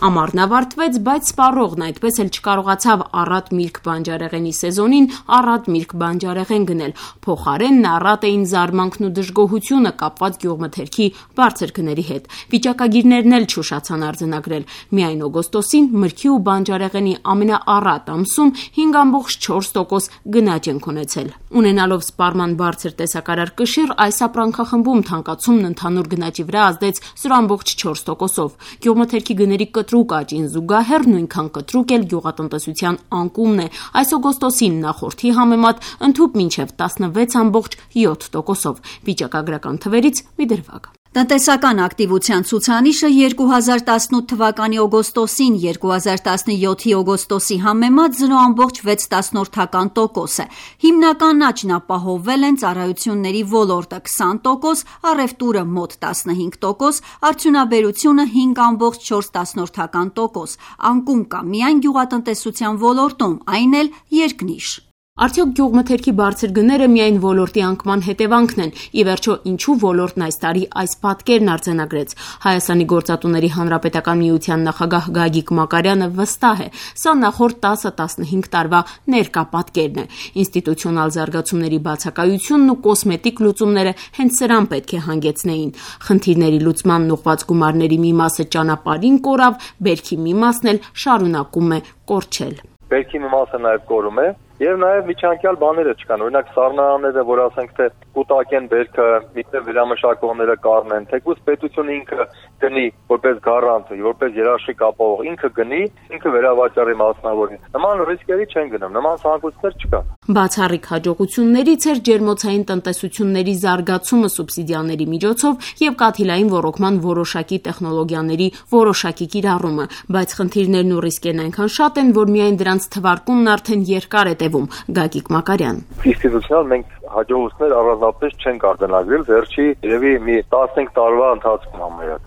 Ամառն ավարտվեց, բայց սպառողն այդպես էլ չկարողացավ առատ միրգ բանջարեղենի սեզոնին առատ միրգ բանջարեղեն գնել։ Փոխարենն առատ էին զարմանքն ու դժգոհությունը կապված գյուղմթերքի բարձր գների հետ։ Վիճակագիրներն էլ չուշացան արձանագրել։ Միայն օգոստոսին մրգի ու բանջարեղենի ամենաառատ ամսում 5.4% գնաճ ենք ունեցել։ Ունենալով սպառման բարձր տեսակարար կշիռ, այս ապրանքախմբում թանկացումն ընդհանուր գնաճի վրա ազդեց 0.4%-ով։ Գյուղմթերքի գների կտրուկ աճին զուգահեռ նույնքան կտրուկ էլ գյուղատնտեսության անկումն է։ Այս օգոստոսին նախորդի համեմատ ընդհուպ մինչև 16.7%-ով։ Վիճակագրական թվերից մի դրվագ։ Տնտեսական ակտիվության ցուցանիշը 2018 թվականի օգոստոսին 2017-ի օգոստոսի համեմատ 0.6% է։ Հիմնական աճն ապահովվել են ծառայությունների ոլորտը 20%, առևտուրը մոտ 15%, արդյունաբերությունը 5.4%։ Անկում կա միայն գյուղատնտեսության ոլորտում, այն էլ երկնիշ։ Արդյոք գյուղմթերքի բարձր գները միայն ոլորտի անկման հետևանքն են։ Ի վերջո, ինչու ոլորտն այս տարի այս պատկերն արձանագրեց։ Հայաստանի գործատուների հանրապետական միության նախագահ Գագիկ Մակարյանը վստահ է, սա նախորդ 10-15 տարվա ներկա պատկերն է։ Ինստիտուցիոնալ զարգացումների բացակայությունն ու կոսմետիկ լուծումները հենց սրան պետք է հանգեցնեին։ Խնդիրների լուծման ուղղված գումարների մի մասը ճանապարհին կորավ, բերքի մի մասն էլ շարունակում է կորչել։ Բերքի մի մասը նաև կորում է, եւ նաև միջանկյալ բաները չկան։ Օրինակ սառնարանները, որ ասենք թե կուտակեն բերքը, միտեղ վերամշակողները կառնեն, թեկուզ պետությունը ինքը գնի որպես գարանտ, որպես երաշխիք ապահով, ինքը գնի, ինքը վերավաճառի մասնավորի։ Նման ռիսկերի չեն գնում, նման ցանկություններ չկան։ Բացառիկ հաջողություններից էր ջերմոցային տնտեսությունների զարգացումը սուբսիդիաների միջոցով եւ կաթիլային ոռոգման որոշակի տեխնոլոգիաների որոշակի կիրառումը, բայց խնդիրներն ու ռիսկերն այնքան շատ են, որ միայն դրանց թվարկումն արդեն երկար է տևում։ Գագիկ Մակարյան։ Ինստիտուցիոնալ մենք հաջողություններ առանձնապես չենք արձանագրել վերջի երևի մի 15 տարվա ընթացքում համարյա։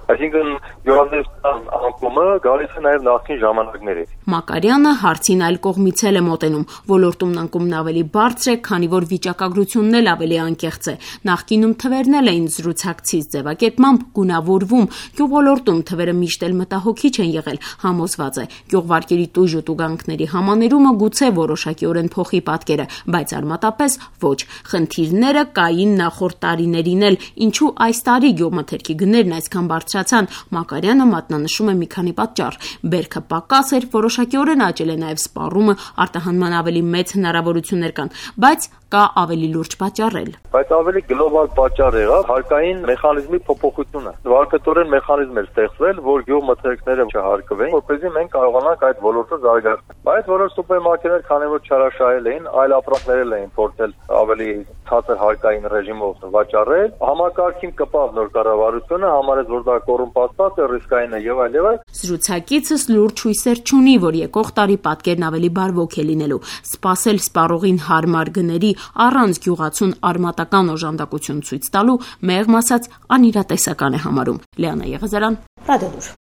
Այսինքն գյուղատնտեսության անկումը գալիս է նաև նախկին ժամանակներից։ Մակարյանը հարցին այլ կողմից է մոտենում։ Ոլորտումն անկումն ավելի բարձր է, քանի որ վիճակագրությունն էլ ավելի անկեղծ է։ Նախկինում թվերն էլ էին զրուցակցից ձևակերպմամբ գունավորվում։ Գյուղոլորտում թվերը միշտ էլ մտահոգիչ են եղել, համոզված է։ Գյուղվարկերի տույժ ու տուգանքների համաներումը գուցե որոշակիորեն փոխի պատկերը, բայց արմատապես ոչ։ Խնդիրները կային նախորդ տարիներին էլ, ինչու այս տարի գյուղմթերքի գներն այսքան բարձրացան։ Մակարյանը մատնանշում է մի քանի պատճառ։ Բերքը պակաս էր, որոշակիորեն աճել է նաև սպառումը, արտահանման ավելի մեծ հնարավորություններ կան, բայց կա ավելի լուրջ պատճառ։ Բայց ավելի գլոբալ պատճառ եղավ հարկային մեխանիզմի փոփոխությունը։ Վարկատորեն մեխանիզմ էր ստեղծվել, որ գյուղմթերքները չհարկվեն, որպեսզի մենք կարողանանք այդ ոլորտը զարգացնել։ Բայց որոշ սուպերմարկետներ, քանի որ չարաշահել էին, այլ ապրանքներ էին փորձել ավելի ցածր հարկային ռեժիմով վաճառել, համակարգին կպավ նոր կառավարությունը, համարեց, որ դա կոռումպացված է, ռիսկային է եւ այլ եւ այլ։ Զրուցակիցս լուրջ հույսեր չունի, որ եկող տարի պատկերն ավելի բարվոք է լինելու։ Սպասել սպառողին հարմար գների առանց գյուղացուն արմատական օժանդակություն ցույց տալու մեղմ ասած անիրատեսական է համարում։ Լիանա Եղազարյան, Ռադիոլուր։